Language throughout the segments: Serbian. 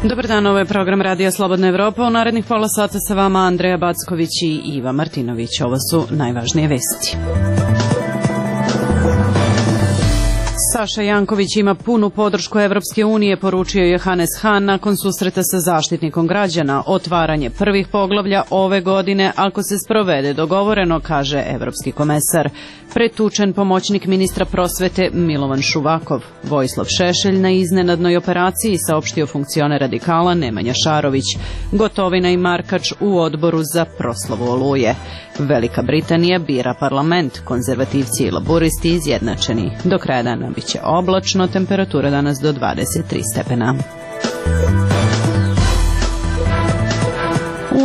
Dobar dan, ovo je program Radija Slobodna Evropa. U narednih pola sata sa vama Andreja Backović i Iva Martinović. Ovo su najvažnije vesti. Saša Janković ima punu podršku Evropske unije, poručio je Hannes Hahn nakon susreta sa zaštitnikom građana. Otvaranje prvih poglavlja ove godine, ako se sprovede dogovoreno, kaže evropski komesar. Pretučen pomoćnik ministra prosvete Milovan Šuvakov. Vojislav Šešelj na iznenadnoj operaciji, saopštio funkcioner radikala Nemanja Šarović. Gotovina i Markač u odboru za proslavu Oluje. Velika Britanija bira parlament, konzervativci i laburisti izjednačeni. Do kraja dana biće oblačno, temperatura danas do 23 stepena.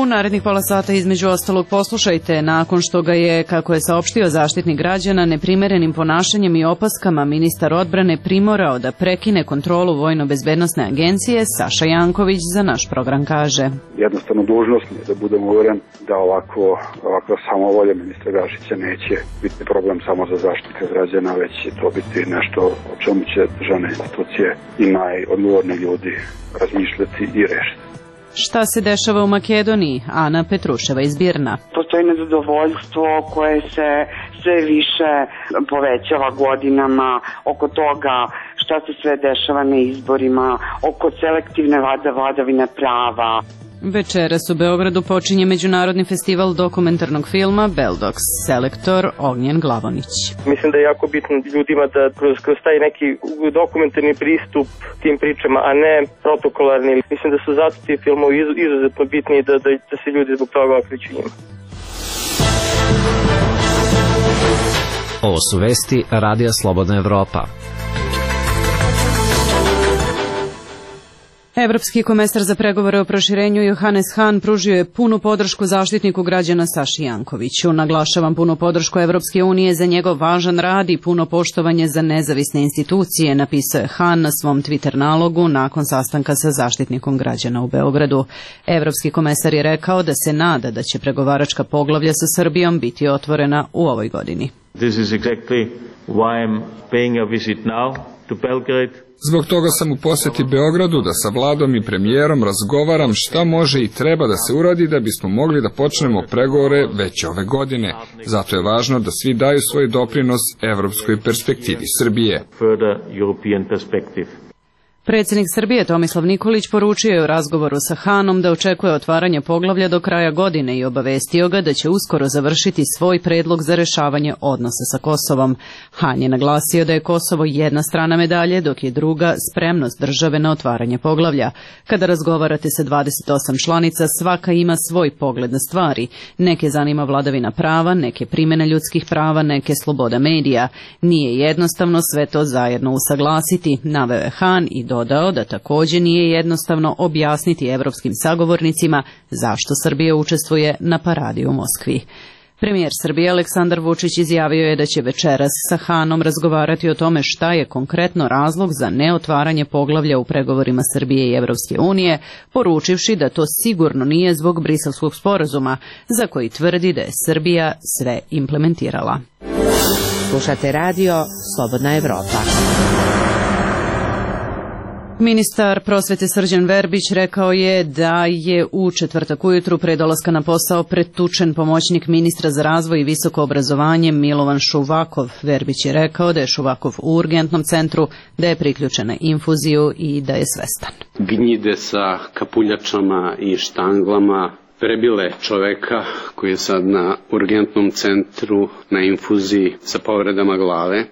U narednih pola sata između ostalog poslušajte, nakon što ga je, kako je saopštio zaštitnik građana, neprimerenim ponašanjem i opaskama ministar odbrane primorao da prekine kontrolu Vojno-bezbednosne agencije, Saša Janković za naš program kaže. Jednostavno dužnost mi je da budem uveren da ovakva samovolja ministra Gašića neće biti problem samo za zaštitnika građana, već će to biti nešto o čemu će državne institucije i najodgovorni ljudi razmišljati i rešiti. Šta se dešava u Makedoniji? Ana Petruševa iz Birna. Postoji nezadovoljstvo koje se sve više povećava godinama oko toga šta se sve dešava na izborima, oko selektivne vladavine prava. Večeras u Beogradu počinje Međunarodni festival dokumentarnog filma Beldox, selektor Ognjen Glavonić. Mislim da je jako bitno ljudima da kroz taj neki dokumentarni pristup tim pričama, a ne protokolarni. Mislim da su zato ti filmovi izuzetno bitni da se ljudi zbog toga okreću njima. Ovo su vesti Radija Slobodna Evropa. Evropski komesar za pregovore o proširenju Johannes Hahn pružio je punu podršku zaštitniku građana Saši Jankoviću. Naglašavam punu podršku Evropske unije za njegov važan rad i puno poštovanje za nezavisne institucije, napisao je Hahn na svom Twitter nalogu nakon sastanka sa zaštitnikom građana u Beogradu. Evropski komesar je rekao da se nada da će pregovaračka poglavlja sa Srbijom biti otvorena u ovoj godini. This is exactly why I'm paying a visit now to Belgrade. Zbog toga sam u posjeti Beogradu da sa vladom i premijerom razgovaram šta može i treba da se uradi da bismo mogli da počnemo pregovore već ove godine. Zato je važno da svi daju svoj doprinos evropskoj perspektivi Srbije. Predsjednik Srbije Tomislav Nikolić poručio je u razgovoru sa Hahnom da očekuje otvaranje poglavlja do kraja godine i obavestio ga da će uskoro završiti svoj predlog za rešavanje odnosa sa Kosovom. Hahn je naglasio da je Kosovo jedna strana medalje, dok je druga spremnost države na otvaranje poglavlja. Kada razgovarate sa 28 članica, svaka ima svoj pogled na stvari. Neke zanima vladavina prava, neke primjena ljudskih prava, neke sloboda medija. Nije jednostavno sve to zajedno usaglasiti, naveo je Hahn i dodao da također nije jednostavno objasniti evropskim sagovornicima zašto Srbija učestvuje na paradi u Moskvi. Premijer Srbije Aleksandar Vučić izjavio je da će večeras sa Hahnom razgovarati o tome šta je konkretno razlog za neotvaranje poglavlja u pregovorima Srbije i Evropske unije, poručivši da to sigurno nije zbog Briselskog sporazuma, za koji tvrdi da je Srbija sve implementirala. Slušate radio Slobodna Evropa. Ministar prosvete Srđan Verbić rekao je da je u četvrtak ujutru pre dolaska na posao pretučen pomoćnik ministra za razvoj i visoko obrazovanje Milovan Šuvakov. Verbić je rekao da je Šuvakov u urgentnom centru, da je priključen na infuziju i da je svestan. Gnjide sa kapuljačama i štanglama prebile čoveka koji je sad na urgentnom centru na infuziji sa povredama glave.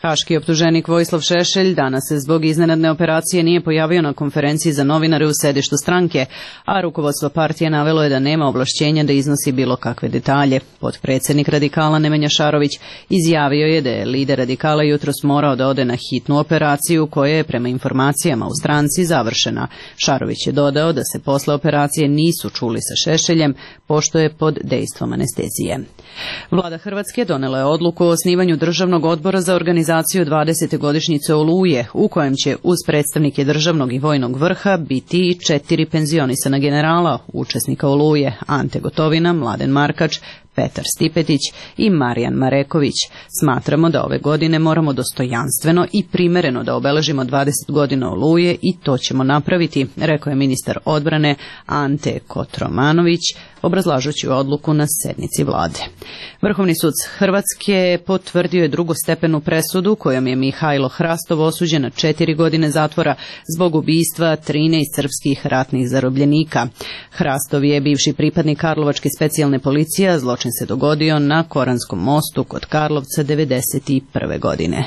Haški optuženik Vojislav Šešelj danas se zbog iznenadne operacije nije pojavio na konferenciji za novinare u sedištu stranke, a rukovodstvo partije navelo je da nema ovlašćenja da iznosi bilo kakve detalje. Potpredsjednik radikala Nemanja Šarović izjavio je da je lider radikala jutros morao da ode na hitnu operaciju koja je prema informacijama u stranci završena. Šarović je dodao da se posle operacije nisu čuli sa Šešeljem, pošto je pod dejstvom anestezije. Vlada Hrvatske donela je odluku o osnivanju Državnog odbora za organizaciju 20. godišnjice Oluje, u kojem će uz predstavnike državnog i vojnog vrha biti i 4 penzionisana generala, učesnika Oluje, Ante Gotovina, Mladen Markač, Petar Stipetić i Marijan Mareković. Smatramo da ove godine moramo dostojanstveno i primereno da obeležimo 20 godina Oluje i to ćemo napraviti, rekao je ministar odbrane Ante Kotromanović, obrazlažući odluku na sednici vlade. Vrhovni sud Hrvatske potvrdio je drugostepenu presudu kojom je Mihajlo Hrastov osuđen na 4 godine zatvora zbog ubistva 13 srpskih ratnih zarobljenika. Hrastov je bivši pripadnik Karlovačke specijalne policije, a zločin se dogodio na Koranskom mostu kod Karlovca 1991. godine.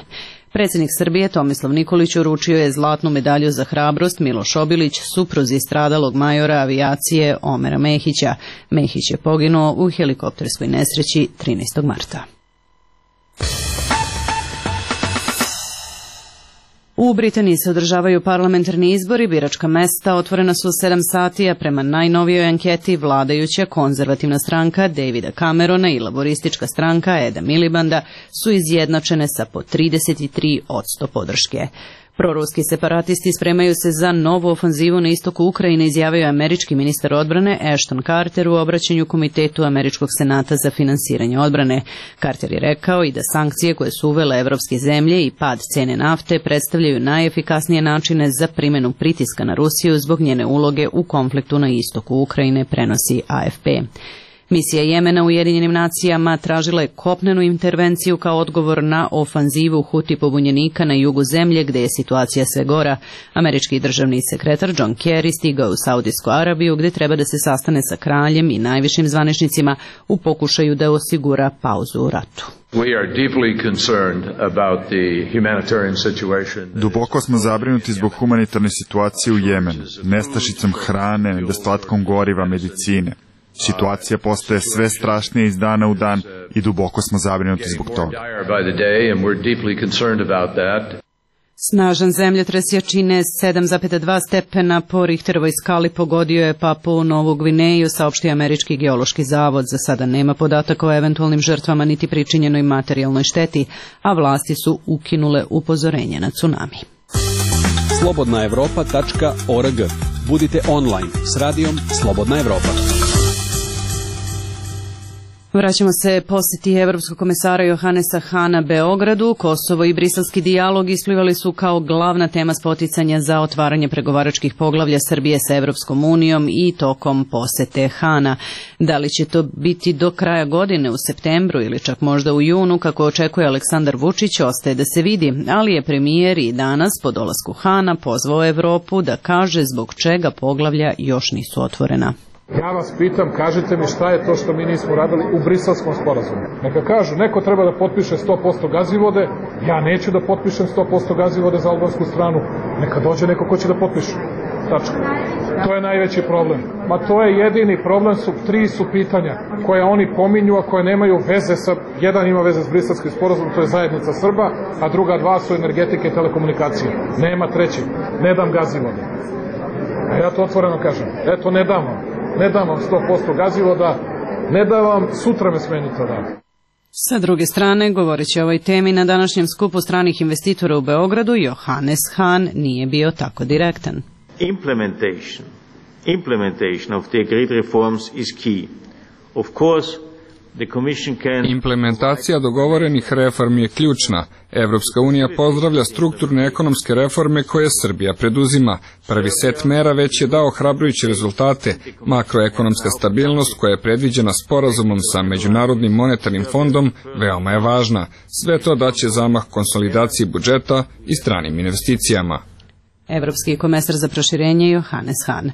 Predsjednik Srbije Tomislav Nikolić uručio je zlatnu medalju za hrabrost Miloš Obilić, supruzi stradalog majora avijacije Omera Mehića. Mehić je poginuo u helikopterskoj nesreći 13. marta. U Britaniji se održavaju parlamentarni izbori, biračka mesta otvorena su u 7 sati, a prema najnovijoj anketi vladajuća konzervativna stranka Davida Camerona i laboristička stranka Eda Milibanda su izjednačene sa po 33% podrške. Proruski separatisti spremaju se za novu ofanzivu na istoku Ukrajine, izjavio je američki ministar odbrane Ashton Carter u obraćanju Komitetu Američkog senata za finansiranje odbrane. Carter je rekao i da sankcije koje su uvele evropske zemlje i pad cene nafte predstavljaju najefikasnije načine za primjenu pritiska na Rusiju zbog njene uloge u konfliktu na istoku Ukrajine, prenosi AFP. Misija Jemena u Ujedinjenim nacijama tražila je kopnenu intervenciju kao odgovor na ofanzivu Huti pobunjenika na jugu zemlje gdje je situacija sve gora. Američki državni sekretar John Kerry stigao u Saudijsku Arabiju gdje treba da se sastane sa kraljem i najvišim zvaničnicima u pokušaju da osigura pauzu u ratu. Duboko smo zabrinuti zbog humanitarne situacije u Jemenu, nestašicom hrane, nedostatkom goriva, medicine. Situacija postaje sve strašnija iz dana u dan i duboko smo zabrinuti zbog toga. Snažan zemljotres jačine 7,2 stepena po Richterovoj skali pogodio je Papuu Novu Gvineju, saopštio Američki geološki zavod. Za sada nema podataka o eventualnim žrtvama niti pričinjenoj materijalnoj šteti, a vlasti su ukinule upozorenje na tsunami. slobodnaevropa.org. Budite online s radijom Slobodna Evropa. Vraćamo se posjeti Evropskog komesara Johannesa Hahna Beogradu. Kosovo i briselski dijalog isplivali su kao glavna tema spoticanja za otvaranje pregovaračkih poglavlja Srbije sa Evropskom unijom i tokom posete Hahna. Da li će to biti do kraja godine u septembru ili čak možda u junu, kako očekuje Aleksandar Vučić, ostaje da se vidi, ali je premijer i danas po dolasku Hahna pozvao Evropu da kaže zbog čega poglavlja još nisu otvorena. Ja vas pitam, kažite mi šta je to što mi nismo radili u Briselskom sporazumu. Neka kažu, neko treba da potpiše 100% Gazivode, ja neću da potpišem 100% Gazivode za albansku stranu, neka dođe neko ko će da potpiše. Tačka. To je najveći problem. Ma to je jedini problem, tri su pitanja koje oni pominju, a koje nemaju veze sa, jedan ima veze s Briselskim sporazumom, to je zajednica Srba, a druga dva su energetike i telekomunikacije. Nema treći. Ne dam Gazivode. A ja to otvoreno kažem. Eto, ne dam vam. Ne dam vam 100% Gazivoda, ne dam vam, sutra me smenite odavde. Sa druge strane, govoreći o ovoj temi na današnjem skupu stranih investitora u Beogradu, Johannes Hahn nije bio tako direktan. Implementation of the agreed reforms is key. Of course, implementacija dogovorenih reformi je ključna. Evropska unija pozdravlja strukturne ekonomske reforme koje Srbija preduzima. Prvi set mera već je dao hrabrujuće rezultate. Makroekonomska stabilnost koja je predviđena sporazumom sa Međunarodnim monetarnim fondom veoma je važna. Sve to daće zamah konsolidaciji budžeta i stranim investicijama. Evropski komesar za proširenje Johannes Hahn.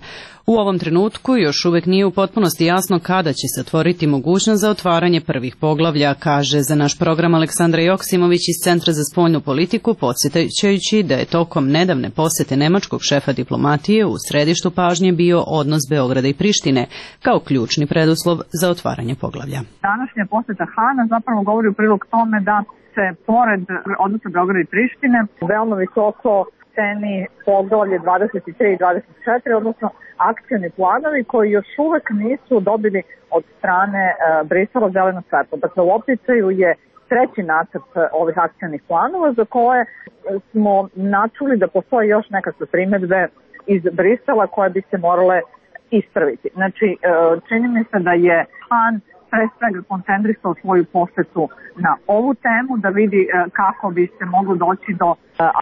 U ovom trenutku još uvek nije u potpunosti jasno kada će se otvoriti mogućnost za otvaranje prvih poglavlja, kaže za naš program Aleksandra Joksimović iz Centra za spoljnu politiku, podsjećajući da je tokom nedavne posete nemačkog šefa diplomatije u središtu pažnje bio odnos Beograda i Prištine kao ključni preduslov za otvaranje poglavlja. Današnja poseta Hahna zapravo govori u prilog tome da se pored odnosa Beograda i Prištine veoma visoko ceni poglavlje 23 i 24, odnosno akcioni planovi koji još uvek nisu dobili od strane Brisela zeleno svetlo. Dakle, u opticaju je treći nacrt ovih akcionih planova za koje smo načuli da postoje još nekakve primedbe iz Brisela koje bi se morale ispraviti. Znači, čini mi se da je Hahn pre svega koncentrisao svoju posetu na ovu temu, da vidi kako bi se moglo doći do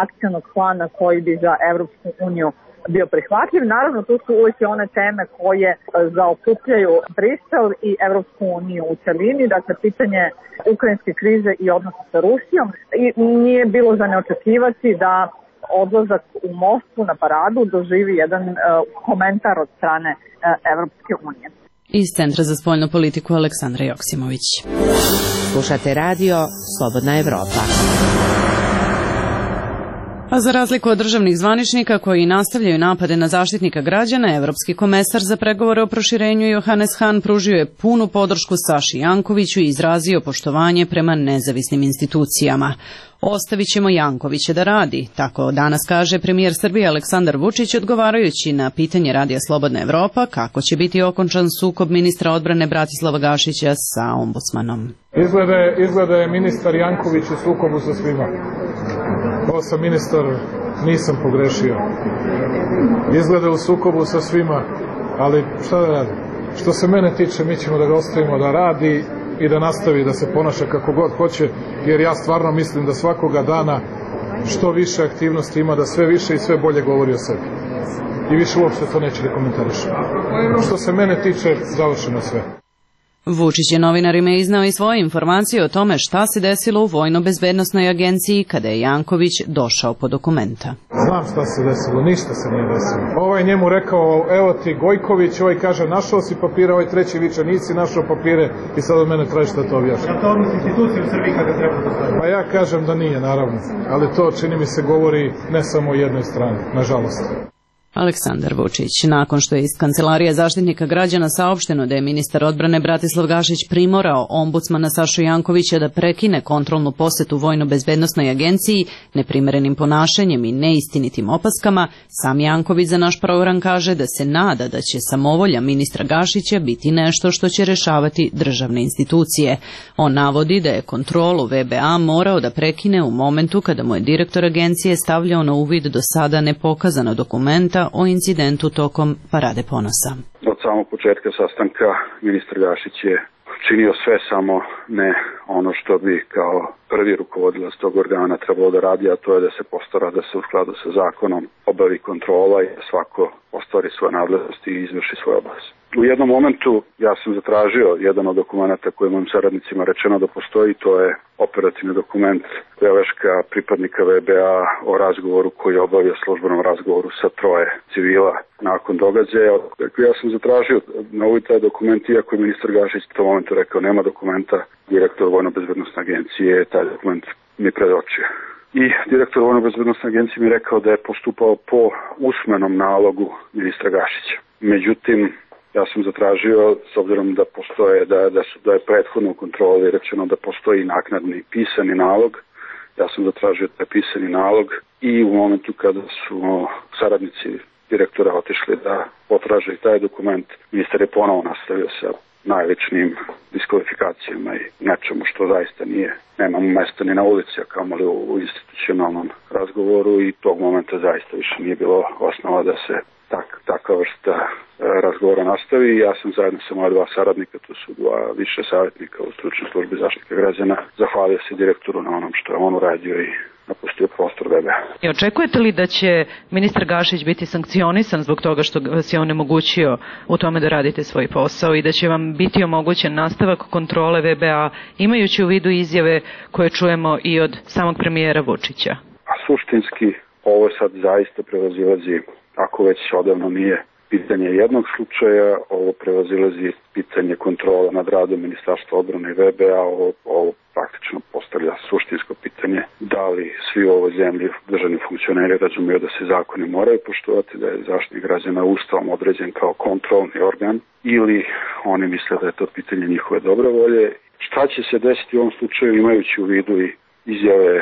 akcionog plana koji bi za Evropsku uniju bio prihvatljiv. Naravno, tu su uvijek one teme koje zaokupljaju Brisel i Evropsku uniju u celini, dakle pitanje ukrajinske krize i odnosa sa Rusijom. I nije bilo za neočekivati da odlazak u Moskvu na paradu doživi jedan komentar od strane Evropske unije. Iz Centra za spoljnu politiku Aleksandra Joksimović. Slušate radio Slobodna Evropa. A za razliku od državnih zvaničnika koji nastavljaju napade na zaštitnika građana, Evropski komesar za pregovore o proširenju Johannes Hahn pružio je punu podršku Saši Jankoviću i izrazio poštovanje prema nezavisnim institucijama. Ostavit ćemo Jankovića da radi, tako danas kaže premijer Srbije Aleksandar Vučić odgovarajući na pitanje Radija Slobodna Evropa kako će biti okončan sukob ministra odbrane Bratislava Gašića sa ombudsmanom. Izgleda je ministar Janković u sukobu sa svima. Ovo sam ministar, nisam pogrešio. Izgleda u sukobu sa svima, ali šta da radi? Što se mene tiče, mi ćemo da ga ostavimo da radi i da nastavi da se ponaša kako god hoće, jer ja stvarno mislim da svakoga dana što više aktivnosti ima, da sve više i sve bolje govori o sebi. I više uopšte to neće da komentarišem. Što se mene tiče, završeno sve. Vučić je novinarima iznao i svoje informacije o tome šta se desilo u Vojno-bezbednosnoj agenciji kada je Janković došao po dokumenta. Znam šta se desilo, ništa se nije desilo. Ovaj njemu rekao, evo ti Gojković, ovaj kaže našao si papire, ovaj treći viče nisi našao papire i sad od mene traži da to objašnjam. Je to odnos institucije u Srbiji kada treba da stavimo? Pa ja kažem da nije, naravno, ali to čini mi se govori ne samo o jednoj strani, nažalost. Aleksandar Vučić. Nakon što je iz Kancelarije zaštitnika građana saopšteno da je ministar odbrane Bratislav Gašić primorao ombudsmana Sašu Jankovića da prekine kontrolnu posetu Vojno-bezbednosnoj agenciji neprimerenim ponašanjem i neistinitim opaskama, sam Janković za naš program kaže da se nada da će samovolja ministra Gašića biti nešto što će rešavati državne institucije. On navodi da je kontrolu VBA morao da prekine u momentu kada mu je direktor agencije stavljao na uvid do sada nepokazana dokumenta o incidentu tokom Parade ponosa. Od samog početka sastanka ministar Gašić je činio sve, samo ne ono što bi kao prvi rukovodilac tog organa trebalo da radi, a to je da se postara da se u skladu sa zakonom obavi kontrola i da svako ostvari svoje nadležnosti i izvrši svoj obavez. U jednom momentu ja sam zatražio jedan od dokumenta koje mojim saradnicima rečeno da postoji, to je operativni dokument beleška pripadnika VBA o razgovoru koji je obavio službenom razgovoru sa 3 civila nakon događaja. Ja sam zatražio na ovaj taj dokument, iako je ministar Gašić u tom momentu rekao nema dokumenta, direktor Vojno-bezbednosne agencije taj dokument mi predočio. I direktor Vojno-bezbednosne agencije mi rekao da je postupao po usmenom nalogu ministra Gašića. Međutim, ja sam zatražio, s obzirom da postoje, da je prethodno u kontroli rečeno da postoji naknadni pisani nalog, ja sam zatražio taj pisani nalog i u momentu kada su saradnici direktora otišli da potraže i taj dokument, ministar je ponovo nastavio sa najvećnim diskvalifikacijama i nečemu što zaista nema mesta ni na ulici, a kamoli u institucionalnom razgovoru i tog momenta zaista više nije bilo osnova da se takva vrsta razgovora nastavi. Ja sam zajedno sa moja 2 saradnika, to su 2 više savjetnika u stručnoj službi zaštite građana, zahvalio se direktoru na onom što je on uradio i napustio prostor VBA. I očekujete li da će ministar Gašić biti sankcionisan zbog toga što vas je onemogućio u tome da radite svoj posao i da će vam biti omogućen nastavak kontrole VBA, imajući u vidu izjave koje čujemo i od samog premijera Vučića? A suštinski ovo sad zaista prevazilazi, ako već odavno nije pitanje jednog slučaja, ovo prevazilazi pitanje kontrola nad radom Ministarstva odbrane i VBA, ovo praktično postavlja suštinsko pitanje da li svi u ovoj zemlji državni funkcioneri razumiju da se zakoni moraju poštovati, da je zaštitnik građana Ustavom određen kao kontrolni organ ili oni misle da je to pitanje njihove dobre volje. Šta će se desiti u ovom slučaju imajući u vidu i izjave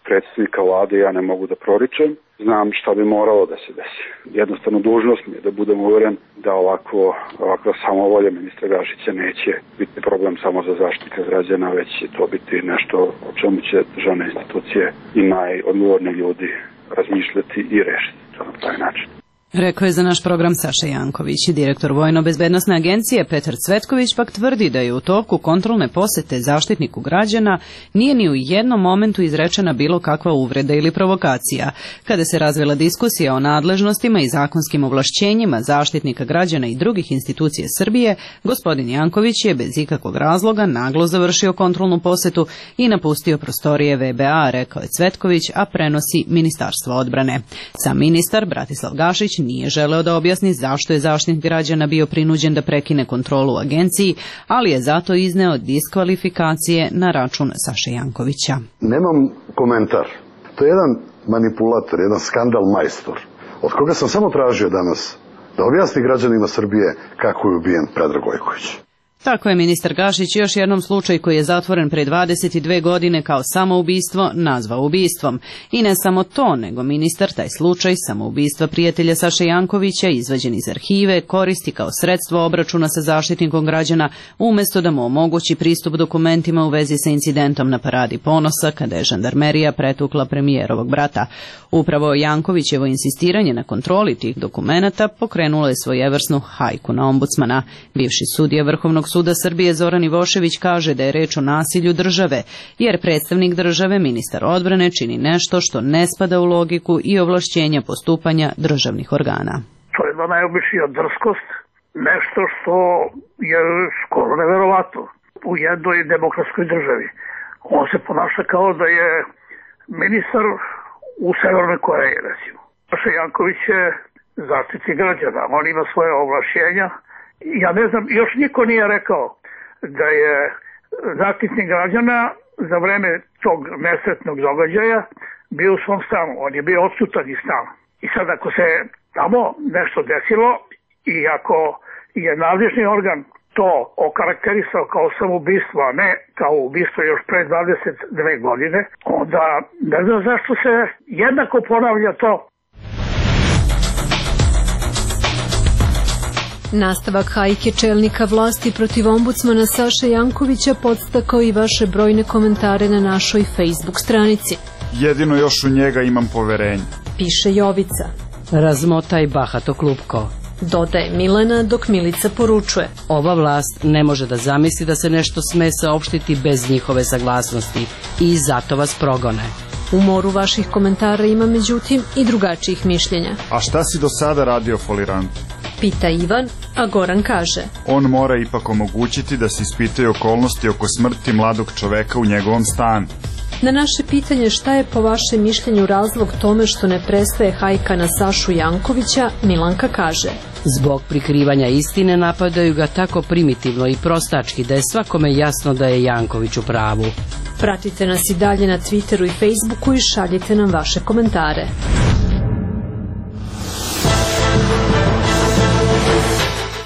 predstavnika vlade, ja ne mogu da proričem. Znam šta bi moralo da se desi. Jednostavno dužnost mi je da budem uveren da ovakva samovolja ministra Gašića neće biti problem samo za zaštitnika građana, već će to biti nešto o čemu će državne institucije i najodgovorniji ljudi razmišljati i rešiti to na taj način. Rekao je za naš program Saša Janković. Direktor Vojno-bezbednosne agencije Petar Cvetković pak tvrdi da je u toku kontrolne posete Zaštitniku građana nije ni u jednom momentu izrečena bilo kakva uvreda ili provokacija. Kada se razvila diskusija o nadležnostima i zakonskim ovlašćenjima Zaštitnika građana i drugih institucija Srbije, gospodin Janković je bez ikakvog razloga naglo završio kontrolnu posetu i napustio prostorije VBA, rekao je Cvetković, a prenosi Ministarstvo odbrane. Sam ministar Bratislav Gašić nije želeo da objasni zašto je Zaštitnik građana bio prinuđen da prekine kontrolu u agenciji, ali je zato izneo diskvalifikacije na račun Saše Jankovića. Nemam komentar. To je jedan manipulator, jedan skandal majstor, od koga sam samo tražio danas da objasni građanima Srbije kako je ubijen Predrag Gojković. Tako je ministar Gašić još jednom slučaj koji je zatvoren pre 22 godine kao samoubistvo nazvao ubistvom. I ne samo to, nego ministar taj slučaj samoubistva prijatelja Saše Jankovića, izvađen iz arhive, koristi kao sredstvo obračuna sa Zaštitnikom građana, umjesto da mu omogući pristup dokumentima u vezi sa incidentom na Paradi ponosa, kada je žandarmerija pretukla premijerovog brata. Upravo Jankovićevo insistiranje na kontroli tih dokumenata pokrenulo je svojevrsnu hajku na ombudsmana. Bivši sudija Vrhovnog suda Srbije Zoran Ivošević kaže da je reč o nasilju države, jer predstavnik države, ministar odbrane, čini nešto što ne spada u logiku i ovlašćenja postupanja državnih organa. To je jedna najobičnija drskost, nešto što je skoro neverovatno u jednoj demokratskoj državi. On se ponaša kao da je ministar u Severnoj Koreji, recimo. Saša Janković je zaštitnik građana, on ima svoje ovlašćenja. Ja ne znam, još niko nije rekao da je zaštitnik građana za vreme tog nesretnog događaja bio u svom stanu. On je bio odsutan iz stana. I sad ako se tamo nešto desilo i ako je nadležni organ to okarakterisao kao samoubistvo, a ne kao ubistvo još pre 22 godine, onda ne znam zašto se jednako ponavlja to. Nastavak hajke čelnika vlasti protiv ombudsmana Saše Jankovića podstakao i vaše brojne komentare na našoj Facebook stranici. Jedino još u njega imam poverenje, piše Jovica. Razmotaj bahato klupko, dodaje Milena, dok Milica poručuje. Ova vlast ne može da zamisli da se nešto sme saopštiti bez njihove saglasnosti i zato vas progone. U moru vaših komentara ima međutim i drugačijih mišljenja. A šta si do sada radio folirantu? Pita Ivan, a Goran kaže. On mora ipak omogućiti da se ispitaju okolnosti oko smrti mladog čoveka u njegovom stanu. Na naše pitanje šta je po vašem mišljenju razlog tome što ne prestaje hajka na Sašu Jankovića, Milanka kaže. Zbog prikrivanja istine napadaju ga tako primitivno i prostački da je svakome jasno da je Janković u pravu. Pratite nas i dalje na Twitteru i Facebooku i šaljite nam vaše komentare.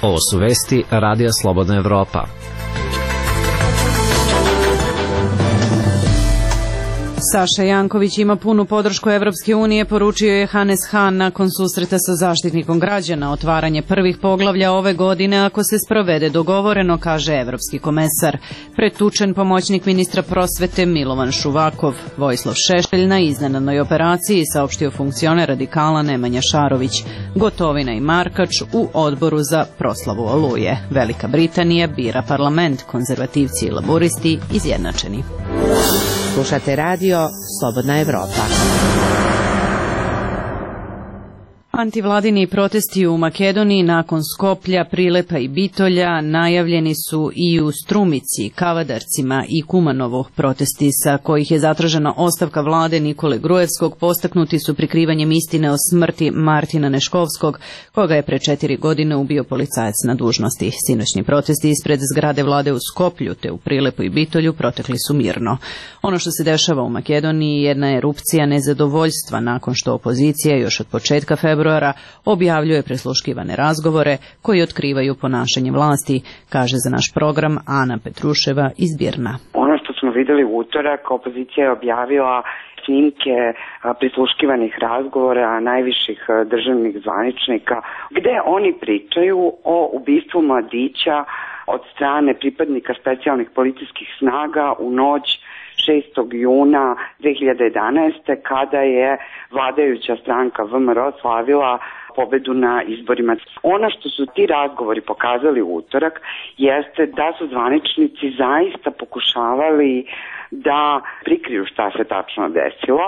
Ovo su vesti Radija Slobodna Evropa. Saša Janković ima punu podršku Evropske unije, poručio je Hannes Hahn nakon susreta sa Zaštitnikom građana. Otvaranje prvih poglavlja ove godine ako se sprovede dogovoreno, kaže evropski komesar. Pretučen pomoćnik ministra prosvete Milovan Šuvakov. Vojislav Šešelj na iznenadnoj operaciji, saopštio funkcioner radikala Nemanja Šarović. Gotovina i Markač u odboru za proslavu Oluje. Velika Britanija bira parlament, konzervativci i laburisti izjednačeni. Slušate radio Slobodna Evropa. Antivladini protesti u Makedoniji nakon Skoplja, Prilepa i Bitolja najavljeni su i u Strumici, Kavadarcima i Kumanovu. Protesti sa kojih je zatražena ostavka vlade Nikole Gruevskog postaknuti su prikrivanjem istine o smrti Martina Neškovskog, koga je pre 4 godine ubio policajac na dužnosti. Sinoćni protesti ispred zgrade vlade u Skoplju te u Prilepu i Bitolju protekli su mirno. Ono što se dešava u Makedoniji jedna je erupcija nezadovoljstva nakon što opozicija još od početka februara objavljuje prisluškivane razgovore koji otkrivaju ponašanje vlasti, kaže za naš program Ana Petruševa iz Birna. Ono što smo videli u utorak, opozicija je objavila snimke prisluškivanih razgovora najviših državnih zvaničnika, gde oni pričaju o ubistvu mladića od strane pripadnika specijalnih policijskih snaga u noć 6. juna 2011. kada je vladajuća stranka VMRO slavila pobedu na izborima. Ono što su ti razgovori pokazali u utorak jeste da su zvaničnici zaista pokušavali da prikriju šta se tačno desilo,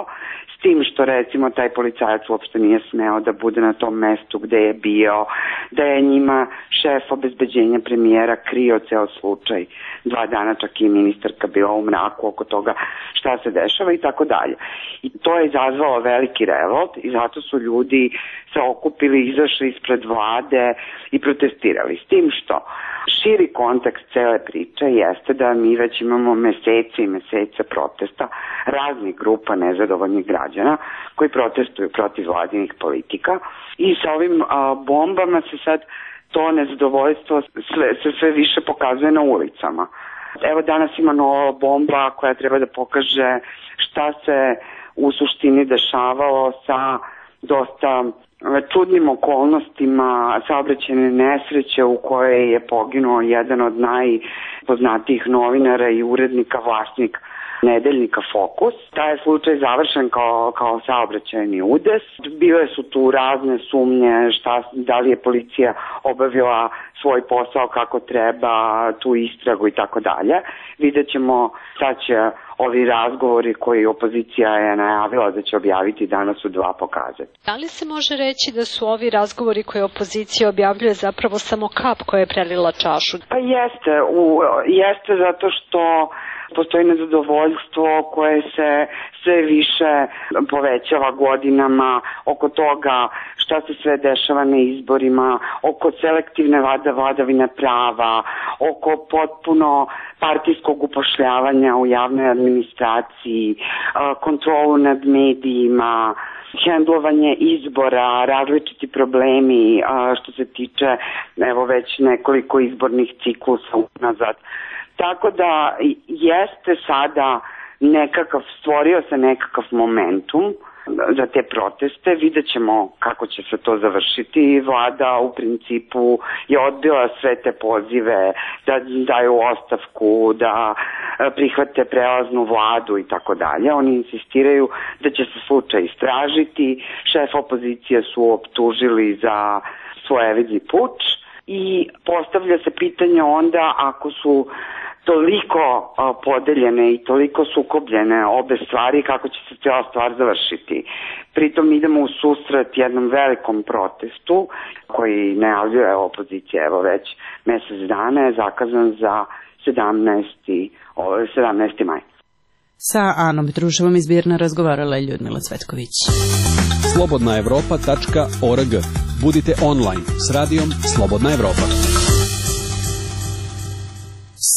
s tim što recimo taj policajac uopšte nije smeo da bude na tom mestu gde je bio, da je njima šef obezbeđenja premijera krio ceo slučaj 2 dana, čak i ministarka bila u mraku oko toga šta se dešava i tako dalje. I to je izazvalo veliki revolt i zato su ljudi se okupili, izašli ispred vlade i protestirali. S tim što širi kontekst cele priče jeste da mi već imamo mesece i mesece protesta raznih grupa nezadovoljnih građana koji protestuju protiv vladinih politika i sa ovim bombama se sad to nezadovoljstvo sve više pokazuje na ulicama. Evo danas ima nova bomba koja treba da pokaže šta se u suštini dešavalo sa dosta čudnim okolnostima saobraćajne nesreće u kojoj je poginuo jedan od najpoznatijih novinara i urednika, vlasnik nedeljnika Fokus. Taj je slučaj završen kao saobraćajni udes. Bile su tu razne sumnje da li je policija obavila svoj posao kako treba, tu istragu i tako dalje. Vidjet ćemo šta će ovi razgovori koji opozicija je najavila da će objaviti danas u 2 pokazati. Da li se može reći da su ovi razgovori koje opozicija objavljuje zapravo samo kap koja je prelila čašu? Pa jeste zato što postoji nezadovoljstvo koje se sve više povećava godinama oko toga šta se sve dešava na izborima, oko selektivne vladavine prava, oko potpuno partijskog upošljavanja u javnoj administraciji, kontrolu nad medijima, hendlovanje izbora, različiti problemi što se tiče evo već nekoliko izbornih ciklusa unazad. Tako da jeste sada stvorio se nekakav momentum za te proteste, vidjet ćemo kako će se to završiti. Vlada u principu je odbila sve te pozive da daju ostavku, da prihvate prelaznu vladu i tako dalje. Oni insistiraju da će se slučaj istražiti, šef opozicije su optužili za svojevidni puč i postavlja se pitanje onda ako su toliko podeljene i toliko sukobljene obe stvari, kako će se cijela stvar završiti. Pritom idemo u susret jednom velikom protestu koji najavljuje opozicija evo već mesec dana, je zakazan za 17. maj. Sa Anom Petruševom iz Birna razgovarala je Ljudmila Cvetković. slobodnaevropa.org. Budite online s radijom Slobodna Evropa.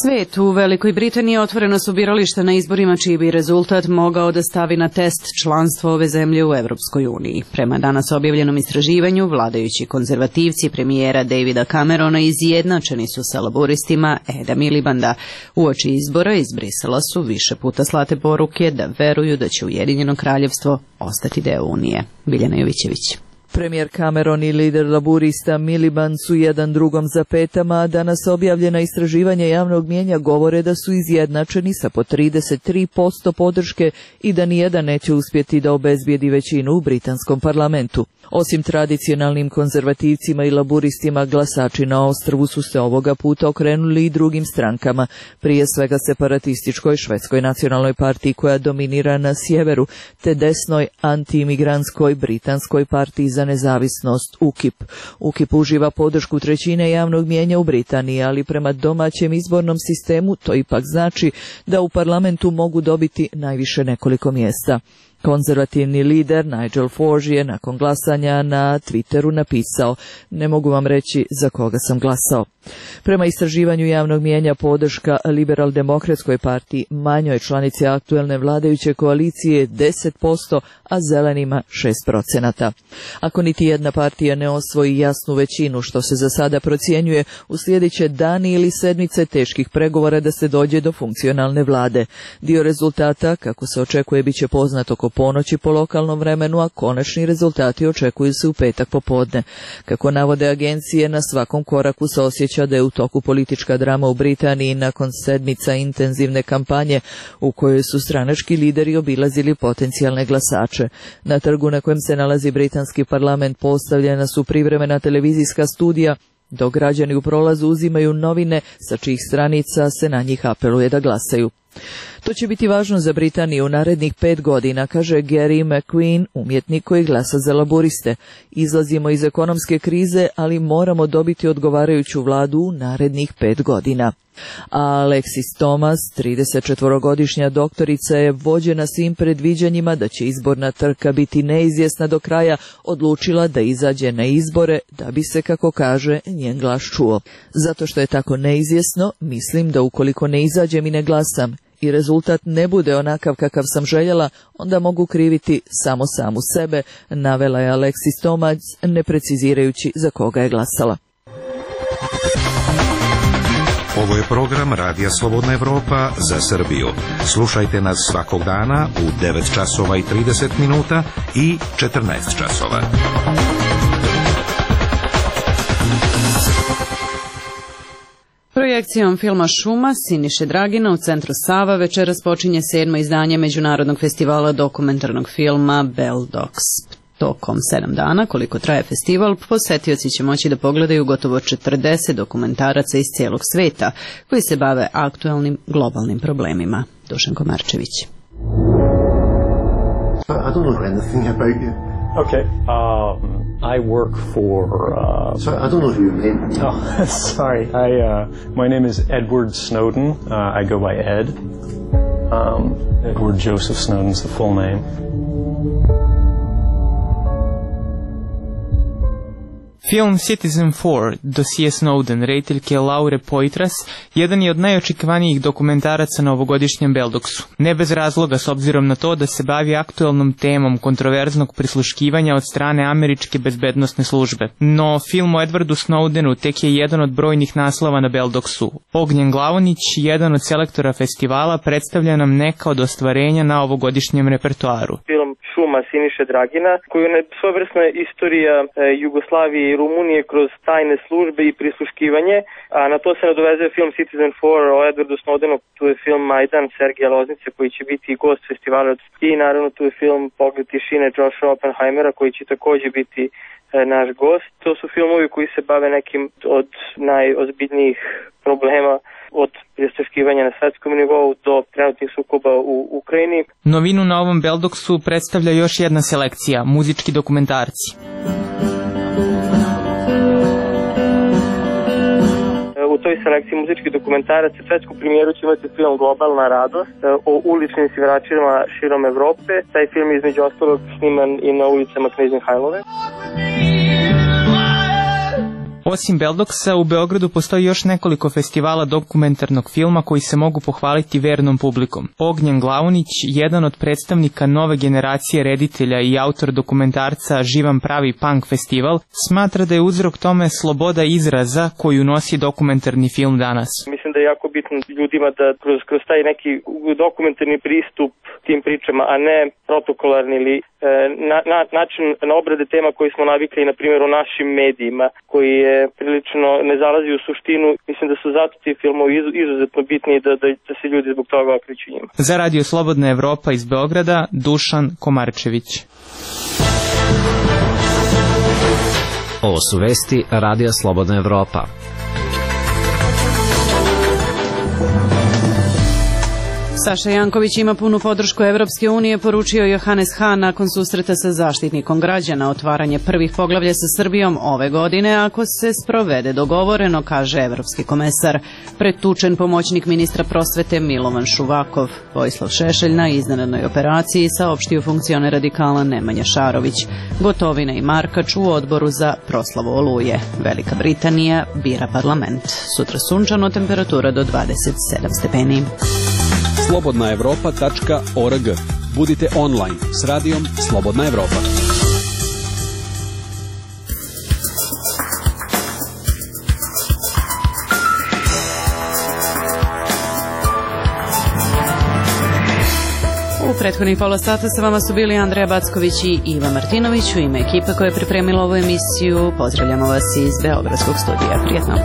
Svet u Velikoj Britaniji otvoreno su birališta na izborima čiji bi rezultat mogao da stavi na test članstvo ove zemlje u Evropskoj uniji. Prema danas objavljenom istraživanju, vladajući konzervativci premijera Davida Camerona izjednačeni su sa laboristima Eda Milibanda. Uoči izbora iz Brisela su više puta slate poruke da veruju da će Ujedinjeno kraljevstvo ostati deo Unije. Biljana Jovićević. Premijer Cameron i lider laburista Miliband su jedan drugom za petama, a danas objavljena istraživanja javnog mnijenja govore da su izjednačeni sa po 33% podrške i da nijedan neće uspjeti da obezbijedi većinu u britanskom parlamentu. Osim tradicionalnim konzervativcima i laburistima, glasači na ostrvu su se ovoga puta okrenuli i drugim strankama, prije svega separatističkoj švedskoj nacionalnoj partiji koja dominira na sjeveru, te desnoj antiimigrantskoj britanskoj partiji za nezavisnost UKIP. UKIP uživa podršku trećine javnog mnijenja u Britaniji, ali prema domaćem izbornom sistemu to ipak znači da u parlamentu mogu dobiti najviše nekoliko mjesta. Konzervativni lider Nigel Farage je nakon glasanja na Twitteru napisao: "Ne mogu vam reći za koga sam glasao." Prema istraživanju javnog mnijenja podrška Liberal-demokratskoj partiji, manjoj članici aktuelne vladajuće koalicije, je 10%, a zelenima 6%. Ako niti jedna partija ne osvoji jasnu većinu, što se za sada procjenjuje, uslijedit će dani ili sedmice teških pregovora da se dođe do funkcionalne vlade. Dio rezultata, kako se očekuje, bit će poznat oko ponoći po lokalnom vremenu, a konačni rezultati očekuju se u petak popodne. Kako navode agencije, na svakom koraku se osjeća da je u toku politička drama u Britaniji nakon sedmica intenzivne kampanje u kojoj su stranački lideri obilazili potencijalne glasače. Na trgu na kojem se nalazi britanski parlament postavljena su privremena televizijska studija, dok građani u prolazu uzimaju novine sa čijih stranica se na njih apeluje da glasaju. To će biti važno za Britaniju u narednih 5 godina, kaže Gary McQueen, umjetnik koji glasa za laburiste. Izlazimo iz ekonomske krize, ali moramo dobiti odgovarajuću vladu u narednih 5 godina. A Alexis Thomas, 34-godišnja doktorica, je vođena svim predviđanjima da će izborna trka biti neizvjesna do kraja, odlučila da izađe na izbore da bi se, kako kaže, njen glas čuo. Zato što je tako neizvjesno, mislim da ukoliko ne izađem i ne glasam i rezultat ne bude onakav kakav sam željela, onda mogu kriviti samo samu sebe, navela je Alexis Thomas, ne precizirajući za koga je glasala. Ovo je program Radija Slobodna Evropa za Srbiju. Slušajte nas svakog dana u 9 časova i 30 minuta i 14 časova. Projekcijom filma Šuma Siniše Dragina u centru Sava večeras počinje 7. izdanje Međunarodnog festivala dokumentarnog filma Beldox. Tokom 7 dana, koliko traje festival, posetioci će moći da pogledaju gotovo 40 dokumentaraca iz cijelog sveta koji se bave aktualnim globalnim problemima. Dušan Komarčević. I don't know anything about you. Okay. I work for. Sorry, I don't know who you mean. Oh, sorry. My name is Edward Snowden. I go by Ed. Edward Joseph Snowden's the full name. Film Citizen4, dosije Snowden, rediteljke Laure Poitras, jedan je od najočekivanijih dokumentaraca na ovogodišnjem Beldoksu. Ne bez razloga, s obzirom na to da se bavi aktualnom temom kontroverznog prisluškivanja od strane američke bezbednosne službe. No, film o Edwardu Snowdenu tek je jedan od brojnih naslova na Beldoksu. Ognjen Glavonić, jedan od selektora festivala, predstavlja nam neka od ostvarenja na ovogodišnjem repertoaru. Film Šuma Siniše Dragina, koji je svojevrsna istorija Jugoslavije i Rumunije kroz tajne službe i prisluškivanje, a na to se nadovezuje film Citizen4 o Edwardu Snowdenu, tu je film Majdan Sergeja Loznice koji će biti i gost festivala i naravno tu je film Pogled tišine Josha Oppenheimera koji će također biti naš gost. To su filmovi koji se bave nekim od najozbiljnijih problema, od prisluškivanja na svetskom nivou do trenutnih sukoba u Ukrajini. Novinu na ovom Beldoksu predstavlja još jedna selekcija, muzički dokumentarci. U toj selekciji muzičkih dokumentaraca svetsku premijeru će imati film Globalna radost o uličnim sviračima širom Evrope. Taj film je između ostalog sniman i na ulicama Knez Mihajlove. Osim Beldoksa, u Beogradu postoji još nekoliko festivala dokumentarnog filma koji se mogu pohvaliti vernom publikom. Ognjen Glavonić, jedan od predstavnika nove generacije reditelja i autor dokumentarca Živan pravi punk festival, smatra da je uzrok tome sloboda izraza koju nosi dokumentarni film danas. Mislim da je jako bitno ljudima da kroz taj neki dokumentarni pristup tim pričama, a ne protokolarni ili način na obrade tema koji smo navikli, na primjer, u našim medijima, koji je prilično ne zalazi u suštinu. Mislim da su zato ti filmovi izuzetno bitni da se ljudi zbog toga okreću njima. Za Radio Slobodna Evropa iz Beograda, Dušan Komarčević. Ovo su vesti Radija Slobodna Evropa. Saša Janković ima punu podršku Evropske unije, poručio Johannes Hahn nakon susreta sa zaštitnikom građana. Otvaranje prvih poglavlja sa Srbijom ove godine ako se sprovede dogovoreno, kaže evropski komesar. Pretučen pomoćnik ministra prosvete Milovan Šuvakov. Vojislav Šešelj na iznenadnoj operaciji, saopštio funkcioner radikala Nemanja Šarović. Gotovina i Markač u odboru za proslavu Oluje. Velika Britanija bira parlament. Sutra sunčano, temperatura do 27 stepeni. slobodnaevropa.org. Budite online s radijom Slobodna Evropa. U Prethodnih pola sata sa vama su bili Andreja Backović i Iva Martinović. U ime ekipe koja je pripremila ovu emisiju pozdravljamo vas iz Beogradskog studija. Prijetno.